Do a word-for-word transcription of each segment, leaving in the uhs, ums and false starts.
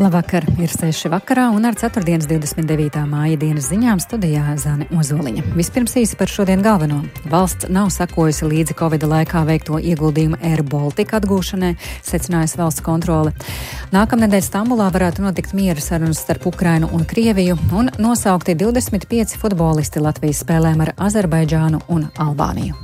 Labvakar, ir seši vakarā un ar ceturtdienas divdesmit devītā māja dienas ziņām studijā Zane Ozoliņa. Vispirms īsi par šodien galveno. Valsts nav sekojusi līdzi Covida laikā veikto ieguldījumu Air Baltica atgūšanai, secinājusi valsts kontrole. Nākamnedēļ Stambulā varētu notikt miera sarunas starp Ukrainu un Krieviju un nosaukti divdesmit pieci futbolisti Latvijas spēlēm ar Azerbaidžānu un Albāniju.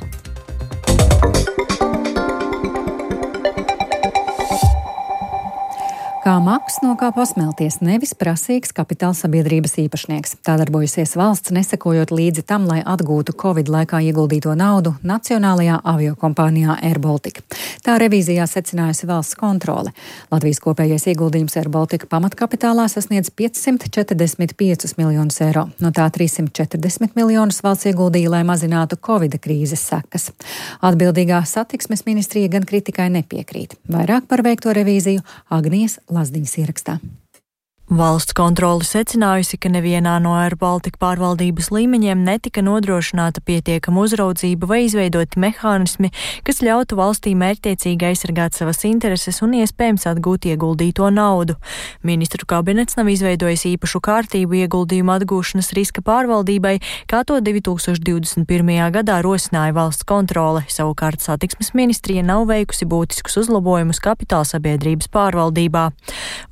Kā maks no kā pasmelties, nevis prasīgs kapitāla sabiedrības īpašnieks. Tā darbojusies valsts, nesekojot līdzi tam, lai atgūtu Covid laikā ieguldīto naudu Nacionālajā aviokompānijā Air Baltica. Tā revīzijā secinājusi valsts kontrole. Latvijas kopējais ieguldījums Air Baltica pamatkapitālā sasniedz piecsimt četrdesmit piecus miljonus eiro. No tā trīssimt četrdesmit miljonus valsts ieguldīja, lai mazinātu Covida krīzes sekas. Atbildīgā satiksmes ministrija gan kritikai nepiekrīt. Vairāk par veikto revīziju Agnijas Lazdiņas ierakstā. Valsts kontrole secinājusi, ka nevienā no Air Baltica pārvaldības līmeņiem netika nodrošināta pietiekama uzraudzība vai izveidoti mehānismi, kas ļautu valstī mērķtiecīgi aizsargāt savas intereses un iespējams atgūt ieguldīto naudu. Ministru kabinets nav izveidojis īpašu kārtību ieguldījumu atgūšanas riska pārvaldībai, kā to divi tūkstoši divdesmit pirmajā gadā rosināja valsts kontrole. Savukārt satiksmes ministrija nav veikusi būtiskus uzlabojumus kapitāla sabiedrības pārvaldībā.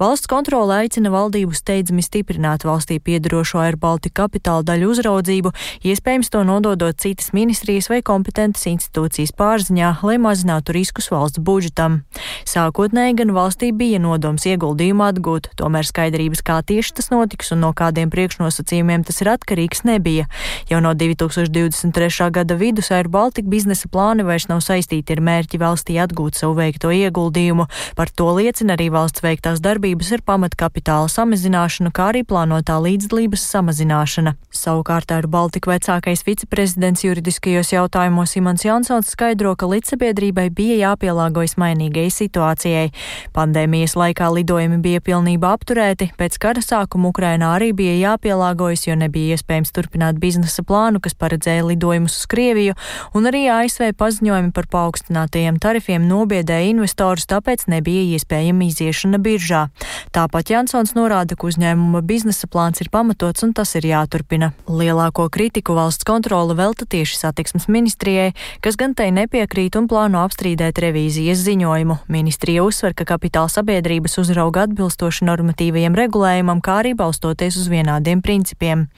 Valsts kontrole aicina valsts valdību steidzami stiprināt valstī piedarošo Air Baltica kapitāla daļu uzraudzību, iespējams to nododot citas ministrijas vai kompetentas institūcijas pārziņā, lai mazinātu riskus valsts budžetam. Sākotnēji gan valstī bija nodoms ieguldījumu atgūt, tomēr skaidrības, kā tieši tas notiks un no kādiem priekšnosacījumiem tas ir atkarīgs, nebija. Jau no divi tūkstoši divdesmit trešā gada vidus Air Baltica biznesa plāni vairs nav saistīti ar mērķi valstī atgūt savu veikto ieguldījumu. Par to liecina arī valsts veiktās darbības ar pamatkapitāla samazināšanu, kā arī plānotā līdzdalības samazināšana. Savukārt Air Baltica vecākais viceprezidents juridiskajos jautājumos Imants Jansons skaidro, ka līdzsabiedrībai bija jāpielāgojas mainīgai situācijai. Pandēmijas laikā lidojumi bija pilnībā apturēti, pēc kara sākuma Ukrainā arī bija jāpielāgojas, jo nebija iespējams turpināt biznesa plānu, kas paredzēja lidojumus uz Krieviju, un arī A S V paziņojumi par paaugstinātajiem tarifiem nobiedēja investorus, tāpēc nebija iespējama iziešana biržā. Tāpat Jansons norāda, ka uzņēmuma biznesa plāns ir pamatots un tas ir jāturpina. Lielāko kritiku valsts kontrole velta tieši satiksmes ministrijai, kas gan tai nepiekrīt un plāno apstrīdēt revīzijas ziņojumu. Ministrija uzsver, ka kapitāla sabiedrības uzrauga atbilstoši normatīvajiem regulējumam, kā arī balstoties uz vienādiem principiem.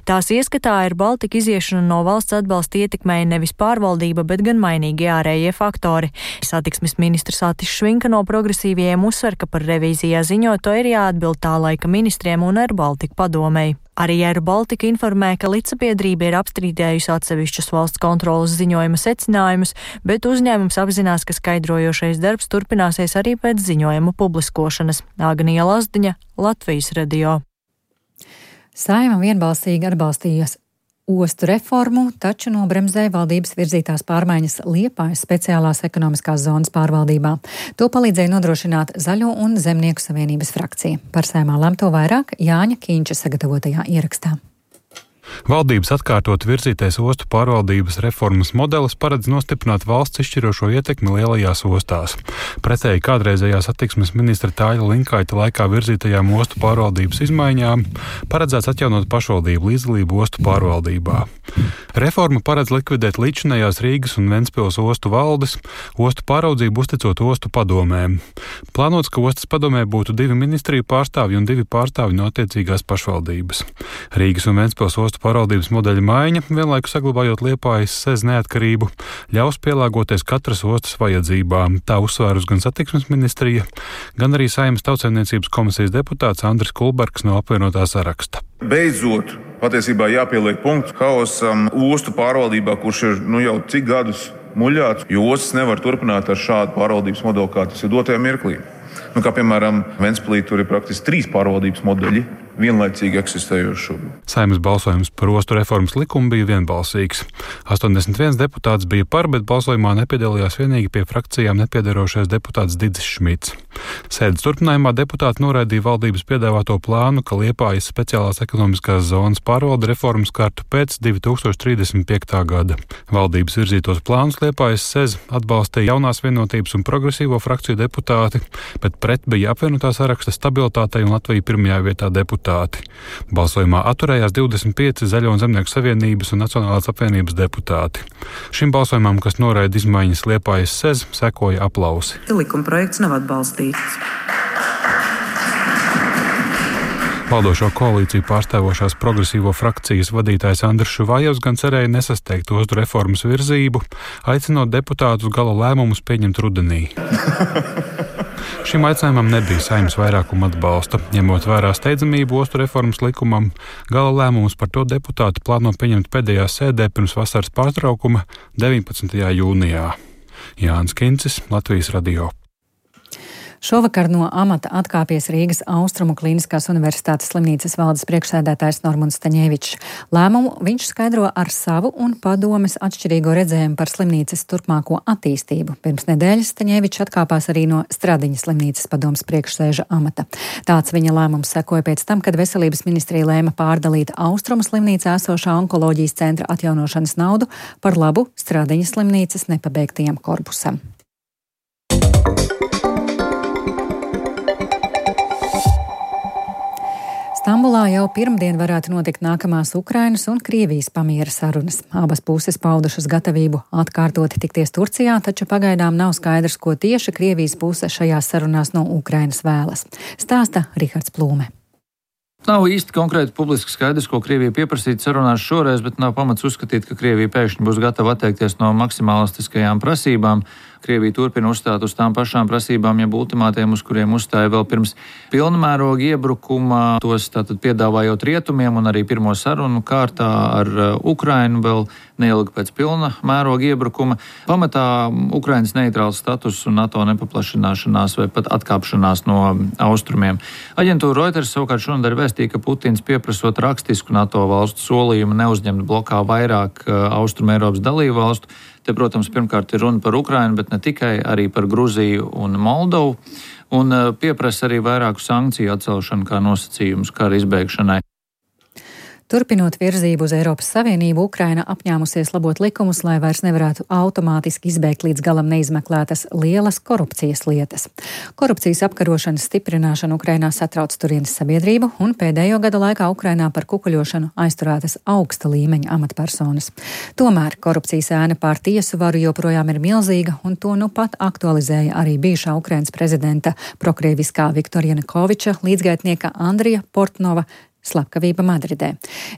Tās ieskatā Air Baltica iziešana no valsts atbalsta ietekmēja nevis pārvaldība, bet gan mainīgi ārējie faktori. Satiksmes ministrs Atis Švinka no progresīvajiem uzsver, ka par revīzijā ziņoto ir jāatbild tā laika ministriem un Air Baltica padomei. Arī Air Baltica informē, ka līdzsabiedrība ir apstrīdējusi atsevišķus valsts kontrolas ziņojuma secinājumus, bet uzņēmums apzinās, ka skaidrojošais darbs turpināsies arī pēc ziņojuma publiskošanas. Agnija Lazdiņa, Latvijas radio. Saeima vienbalsīgi atbalstījās ostu reformu, taču nobremzēja valdības virzītās pārmaiņas Liepājas speciālās ekonomiskās zonas pārvaldībā. To palīdzēja nodrošināt Zaļo un Zemnieku savienības frakcija. Par Saeimā lemto vairāk Jāņa Kīņša sagatavotajā ierakstā. Valdības atkārtot virzītais ostu pārvaldības reformas modelis paredz nostiprināt valsts izšķirošo ietekmi lielajās ostās. Pretēji kādreizējā satiksmes ministra Tāļa Linkaita laikā virzītajām ostu pārvaldības izmaiņām paredzēts atjaunot pašvaldību līdzdalību ostu pārvaldībā. Reforma paredz likvidēt līdzinējās Rīgas un Ventspils ostu valdes, ostu pāraudzību uzticot ostu padomēm. Plānots, ka ostas padomē būtu divi ministriju pārstāvji un divi pārstāvji no attiecīgās pašvaldības. Rīgas un Ventspils ostu pārvaldības modeļa maiņa, vienlaikus saglabājot Liepājas sez neatkarību, ļaus pielāgoties katras ostas vajadzībām. Tā uzsvērus gan satiksmes ministrija, gan arī Saeimas Tautsaimniecības komisijas deputāts Andris Kulbergs no apvienotā saraksta. Beidzot, patiesībā jāpieliek punkts haosam ostu pārvaldībā, kurš ir nu jau cik gadus muļāts, jo ostas nevar turpināt ar šādu pārvaldības modeli, kā tas ir dotajā mirklī. Nu, kā piemēram, Ventspilī tur ir praktiski trīs pārvaldības modeļi, vienlaicīgi eksistējoši. Saeimas balsojums par ostu reformas likumu bija vienbalsīgs. astoņdesmit viens deputāts bija par, bet balsojumā nepiedalījās vienīgi pie frakcijām nepiedarošais deputāts Didzis Šmits. Sēdes turpinājumā deputāti noraidīja valdības piedāvāto plānu, ka Liepājas speciālās ekonomiskās zonas pārvalde reformas kārtu pēc divi tūkstoši trīsdesmit piektā gada. Valdības virzītos plānus Liepājas sēz atbalstīja jaunās vienotības un progresīvo frakciju deputāti, bet pret bija apvienotā saraksta Stabilitātei un Latvija pirmajā vietā deputāti. Balsojumā atturējās divdesmit pieci Zaļo un Zemnieku savienības un Nacionālās apvienības deputāti. Šim balsojumam, kas noraida izmaiņas Liepājas sēz, sekoja aplausi. Likuma projekts nav atbalstīts. Valdošo koalīciju pārstāvošās progresīvo frakcijas vadītājs Andris Šuvājevs gan cerēja nesasteigt ostu reformas virzību, aicinot deputātus gala lēmumus pieņemt rudenī. Šim aicinājumam nebija Saeimas vairākuma atbalsta. Ņemot vērā steidzamību ostu reformas likumam, gala lēmumus par to deputāti plāno pieņemt pēdējā sēdē pirms vasaras pārtraukuma deviņpadsmitajā jūnijā. Jānis Kincis, Latvijas radio. Šovakar no amata atkāpies Rīgas Austrumu Kliniskās universitātes slimnīcas valdes priekšsēdētājs Normunds Staņevičs. Lēmumu viņš skaidro ar savu un padomes atšķirīgo redzējumu par slimnīcas turpmāko attīstību. Pirms nedēļas Staņevičs atkāpās arī no Stradiņas slimnīcas padomes priekšsēža amata. Tāds viņa lēmums sekoja pēc tam, kad Veselības ministrija lēma pārdalīt Austrumu slimnīcā esošā onkoloģijas centra atjaunošanas naudu par labu Stradiņas slimnīcas nepabeigtajam korpusam. Stambulā jau pirmdien varētu notikt nākamās Ukrainas un Krievijas pamiera sarunas. Abas puses paudušas gatavību atkārtoti tikties Turcijā, taču pagaidām nav skaidrs, ko tieši Krievijas puse šajās sarunās no Ukrainas vēlas. Stāsta Rihards Plūme. Nav īsti konkrēti publiski skaidrs, ko Krievija pieprasīt sarunās šoreiz, bet nav pamats uzskatīt, ka Krievija pēkšņi būs gatava atteikties no maksimalistiskajām prasībām. Krievija turpina uzstāt uz tām pašām prasībām, jeb ultimātiem, uz kuriem uzstāja vēl pirms pilnmēroga iebrukuma, tos tātad piedāvājot rietumiem un arī pirmo sarunu kārtā ar Ukrainu vēl neilgi pēc pilna mēroga iebrukuma. Pamatā Ukrainas neitrāls status un NATO nepaplašināšanās vai pat atkāpšanās no austrumiem. Aģentūra Reuters savukārt šonadēļ vēstīja, ka Putins pieprasot rakstisku NATO valstu solījumu neuzņemt blokā vairāk Austrum Eiropas dalību valstu. Te, protams, pirmkārt ir runa par Ukrainu, bet ne tikai, arī par Gruziju un Moldovu, un pieprasa arī vairāku sankciju atcelšanu kā nosacījumus kara izbeigšanai. Turpinot virzību uz Eiropas Savienību, Ukraina apņēmusies labot likumus, lai vairs nevarētu automātiski izbeigt līdz galam neizmeklētas lielas korupcijas lietas. Korupcijas apkarošanas stiprināšana Ukrainā satrauc turienes sabiedrību, un pēdējo gadu laikā Ukrainā par kukuļošanu aizturētas augsta līmeņa amatpersonas. Tomēr korupcijas ēna pār tiesu varu joprojām ir milzīga, un to nu pat aktualizēja arī bijušā Ukrainas prezidenta prokrieviskā Viktora Janukoviča līdzgaitnieka Andrija Portnova slepkavība Madridē.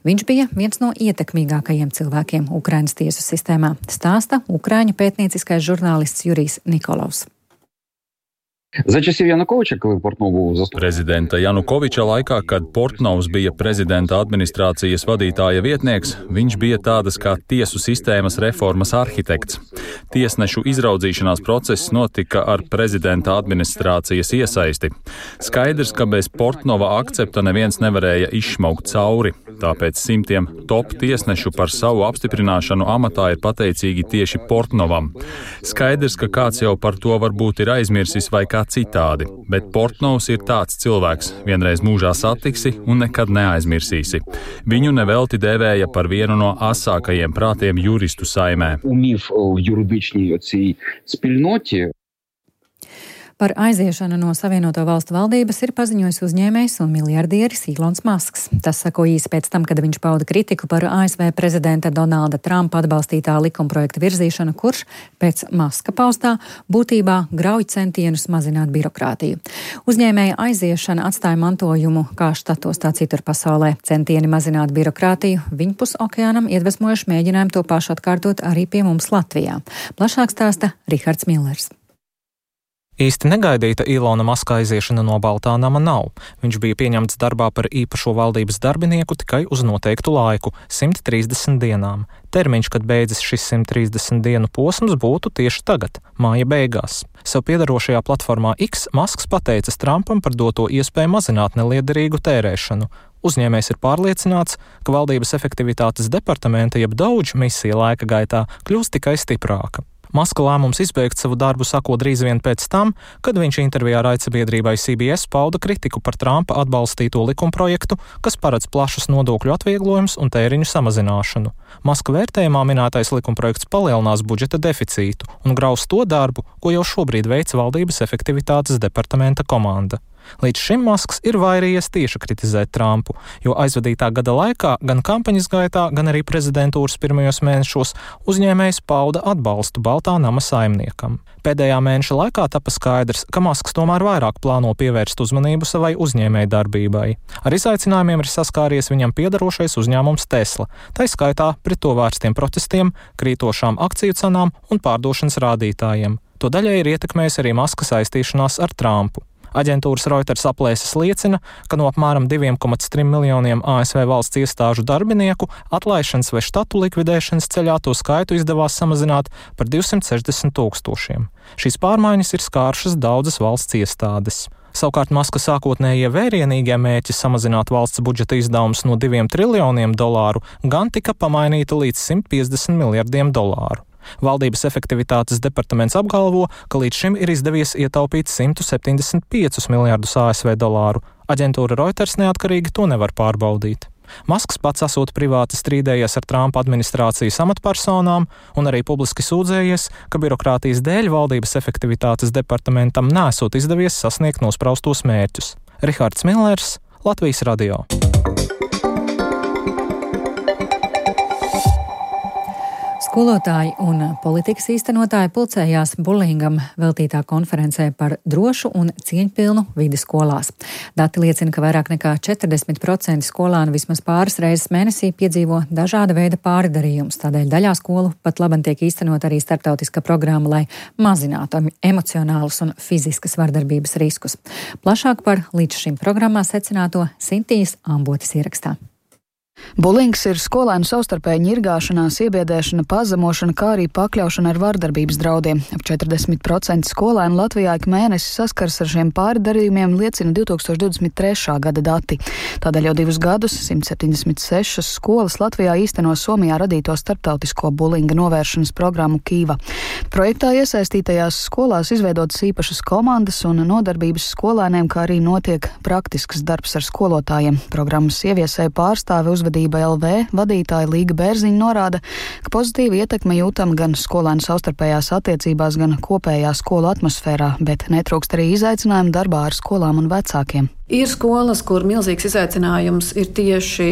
Viņš bija viens no ietekmīgākajiem cilvēkiem Ukrainas tiesu sistēmā, stāsta ukraiņu pētnieciskais žurnālists Jurijs Nikolovs. За часів Януковича, коли Портнов був заступником prezidenta Janukoviča laikā, kad Portnovs bija prezidenta administrācijas vadītāja vietnieks, viņš bija tādas kā tiesu sistēmas reformas arhitekts. Tiesnešu izraudzīšanās process notika ar prezidenta administrācijas iesaisti. Skaidrs, ka bez Portnova akcepta neviens nevarēja izšmaukt cauri, tāpēc simtiem top tiesnešu par savu apstiprināšanu amatā ir pateicīgi tieši Portnovam. Skaidrs, ka kāds jau par to varbūt ir aizmirsis vai kā citādi, bet Portnovs ir tāds cilvēks, vienreiz mūžā satiksi un nekad neaizmirsīsi. Viņu nevelti dēvēja par vienu no asākajiem prātiem juristu saimē. Умів в юридичній оцій спільноті. Par aiziešanu no Savienoto valstu valdības ir paziņojis uzņēmējs un miljardieris Ilons Masks. Tas sako īsi pēc tam, kad viņš pauda kritiku par A S V prezidenta Donalda Trumpa atbalstītā likumprojekta virzīšanu, kurš pēc Maska paustā būtībā grauj centienus mazināt birokrātiju. Uzņēmēja aiziešana atstāja mantojumu kā štatos, tā citur pasaulē. Centieni mazināt birokrātiju viņpus okeānam iedvesmojuši mēģinājumu to pašu atkārtot arī pie mums Latvijā. Plašāk stāsta Rihards Millers. Īsti negaidīta Ilona Maska aiziešana no Baltā nama nav. Viņš bija pieņemts darbā par īpašo valdības darbinieku tikai uz noteiktu laiku – simt trīsdesmit dienām. Termiņš, kad beidzas šis simt trīsdesmit dienu posms, būtu tieši tagad, māja beigās. Sev piedarošajā platformā X Masks pateicis Trumpam par doto iespēju mazināt neliederīgu tērēšanu. Uzņēmējs ir pārliecināts, ka valdības efektivitātes departamenta jeb Daudž misija laika gaitā kļūs tikai stiprāka. Maska lēmums izbeigt savu darbu sako drīz vien pēc tam, kad viņš intervijā raidsabiedrībai C B S pauda kritiku par Trumpa atbalstīto likumprojektu, kas paredz plašus nodokļu atvieglojumus un tēriņu samazināšanu. Maska vērtējumā minētais likumprojekts palielinās budžeta deficītu un graus to darbu, ko jau šobrīd veic valdības efektivitātes departamenta komanda. Līdz šim Masks ir vairījies tieši kritizēt Trumpu, jo aizvadītā gada laikā gan kampaņas gaitā, gan arī prezidentūras pirmajos mēnešos uzņēmējs pauda atbalstu Baltā nama saimniekam. Pēdējā mēneša laikā tapa skaidrs, ka Masks tomēr vairāk plāno pievērst uzmanību savai uzņēmēju darbībai. Ar izaicinājumiem ir saskāries viņam piedarošais uzņēmums Tesla, tai skaitā pret to vērstiem protestiem, krītošām akciju cenām un pārdošanas rādītājiem. To daļai ir ietekmējis arī Maska saistīšanās ar Trumpu. Aģentūras Reuters aplēses liecina, ka no apmēram diviem komats trim miljoniem A S V valsts iestāžu darbinieku atlaišanas vai štatu likvidēšanas ceļā to skaitu izdevās samazināt par divsimt sešdesmit tūkstošiem. Šīs pārmaiņas ir skārušas daudzas valsts iestādes. Savukārt Maska sākotnējie vērienīgie mērķi samazināt valsts budžeta izdevumus no diviem triljoniem dolāru gan tika pamainīti līdz simt piecdesmit miljardiem dolāru. Valdības efektivitātes departaments apgalvo, ka līdz šim ir izdevies ietaupīt simt septiņdesmit piecus miljardus A S V dolāru. Aģentūra Reuters neatkarīgi to nevar pārbaudīt. Masks pats esot privāti strīdējies ar Trumpa administrācijas amatpersonām un arī publiski sūdzējies, ka birokrātijas dēļ valdības efektivitātes departamentam nesot izdevies sasniegt nospraustos mērķus. Rihards Millers, Latvijas radio. Skolotāji un politikas īstenotāji pulcējās bulingam veltītā konferencē par drošu un cieņpilnu vidi skolās. Dati liecina, ka vairāk nekā četrdesmit procenti skolānu vismaz pāris reizes mēnesī piedzīvo dažāda veida pārdarījumus. Tādēļ daļā skolu pat labam tiek īstenot arī starptautiska programma, lai mazinātu emocionālus un fiziskas vardarbības riskus. Plašāk par līdz šim programmā secināto Sintīs Ambotes ierakstā. Bulings ir skolēnu savstarpēja ņirgāšanās, iebiedēšana, pazemošana, kā arī pakļaušana ar vardarbības draudiem. Ap četrdesmit procenti skolēnu Latvijā ik mēnesi saskars ar šiem pārdarījumiem, liecina divi tūkstoši divdesmit trešā gada dati. Tādēļ jau divus gadus simt septiņdesmit sešas skolas Latvijā īsteno Somijā radīto starptautisko bulinga novēršanas programmu Kīva. Projektā iesaistītajās skolās izveidotas īpašas komandas un nodarbības skolēniem, kā arī notiek praktisks darbs ar skolotājiem. Programmas ieviesēja pārstāve uz Uzvedība L V vadītāja Līga Bērziņa norāda, ka pozitīva ietekme jūtama gan skolēnu savstarpējās attiecībās, gan kopējā skolu atmosfērā, bet netrūkst arī izaicinājumu darbā ar skolām un vecākiem. Ir skolas, kur milzīgs izaicinājums ir tieši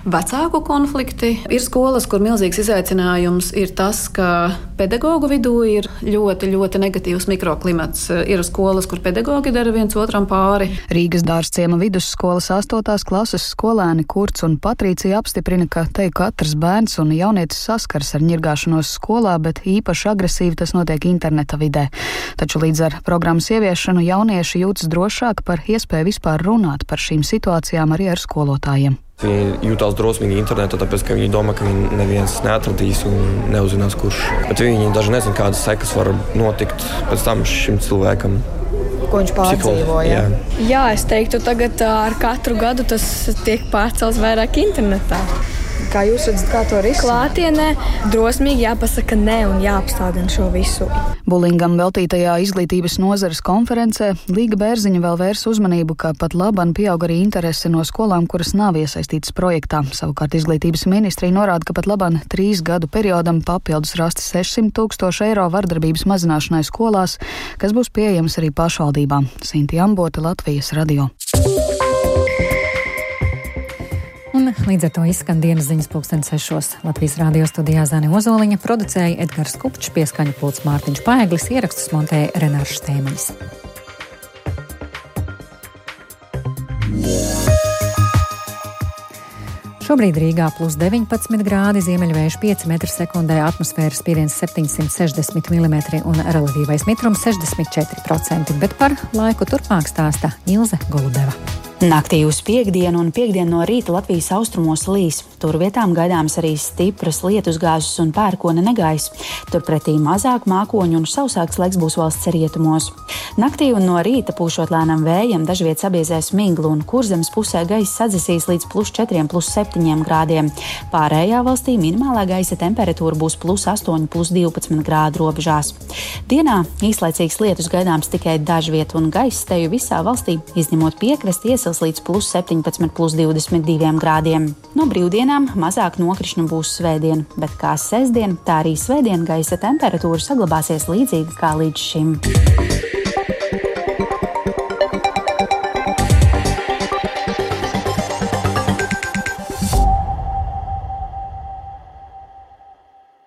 vecāku konflikti. Ir skolas, kur milzīgs izaicinājums ir tas, ka pedagoģu vidū ir ļoti, ļoti negatīvs mikroklimats. Ir skolas, kur pedagoģi dara viens otram pāri. Rīgas Dārzciema vidusskolas astotās klases skolēni Kurts un Patricija apstiprina, ka te katrs bērns un jaunietis saskars ar ņirgāšanos skolā, bet īpaši agresīvi tas notiek interneta vidē. Taču līdz ar programmas ieviešanu jaunieši jūtas drošāk par iespēju vispār runāt par šīm situācijām arī ar skolotājiem. Viņi jūtās drosmīgi internetā, tāpēc, ka viņi domā, ka viņi neviens neatradīs un neuzzinās, kurš. Bet viņi daži nezin, kādas sekas var notikt pēc tam šim cilvēkam. Ko viņš pārdzīvoja? Jā. Jā, es teiktu, tagad ar katru gadu tas tiek pārcelts vairāk internetā. Kā jūs redzat, kā to risināt? Klātienē drosmīgi jāpasaka nē un jāapstādina šo visu. Bulingam veltītajā izglītības nozares konferencē Līga Bērziņa vēl vērs uzmanību, ka pat laban pieaug arī interese no skolām, kuras nav iesaistītas projektā. Savukārt izglītības ministrija norāda, ka pat laban trīs gadu periodam papildus rasti sešsimt tūkstoši eiro vardarbības mazināšanai skolās, kas būs pieejams arī pašvaldībām. Sinti Ambote, Latvijas radio. Un līdz ar to izskan dienas ziņas pulksten sešos. Latvijas radio studijā Zane Ozoliņa, producēja Edgars Kupčs, pieskaņu pults Mārtiņš Paeglis, ierakstus montēja Renārs Štēmanis. Šobrīd Rīgā plus deviņpadsmit grādi, ziemeļvējš pieci metri sekundē, atmosfēras spiediens septiņsimt sešdesmit milimetri un relatīvais mitrums sešdesmit četri procenti, bet par laiku turpmāk stāsta Ilze Golubeva. Naktī uz piekdienu un piekdienu no rīta Latvijas austrumos līs. Tur vietām gaidāms arī stipras lietusgāzes un pērkona negaiss. Turpretī mazāk mākoņu un sausāks laiks būs valsts rietumos. Naktī un no rīta pūšot lēnam vējam dažviet sabiezēs miglu un Kurzemes pusē gaiss sadzisīs līdz plus četriem, plus septiņiem grādiem. Pārējā valstī minimālā gaisa temperatūra būs plus astoņi, plus divpadsmit grādu robežās. Dienā īslaicīgs lietus gaidāms tikai dažviet un gaiss teju visā valstī, izņemot piekrasti, iesils līdz plus septiņpadsmit, plus divdesmit diviem grādiem. No brīvdienām mazāk nokrišņu būs svētdien, bet kā sestdien, tā arī svētdien gaisa temperatūra saglabāsies līdzīga kā līdz šim.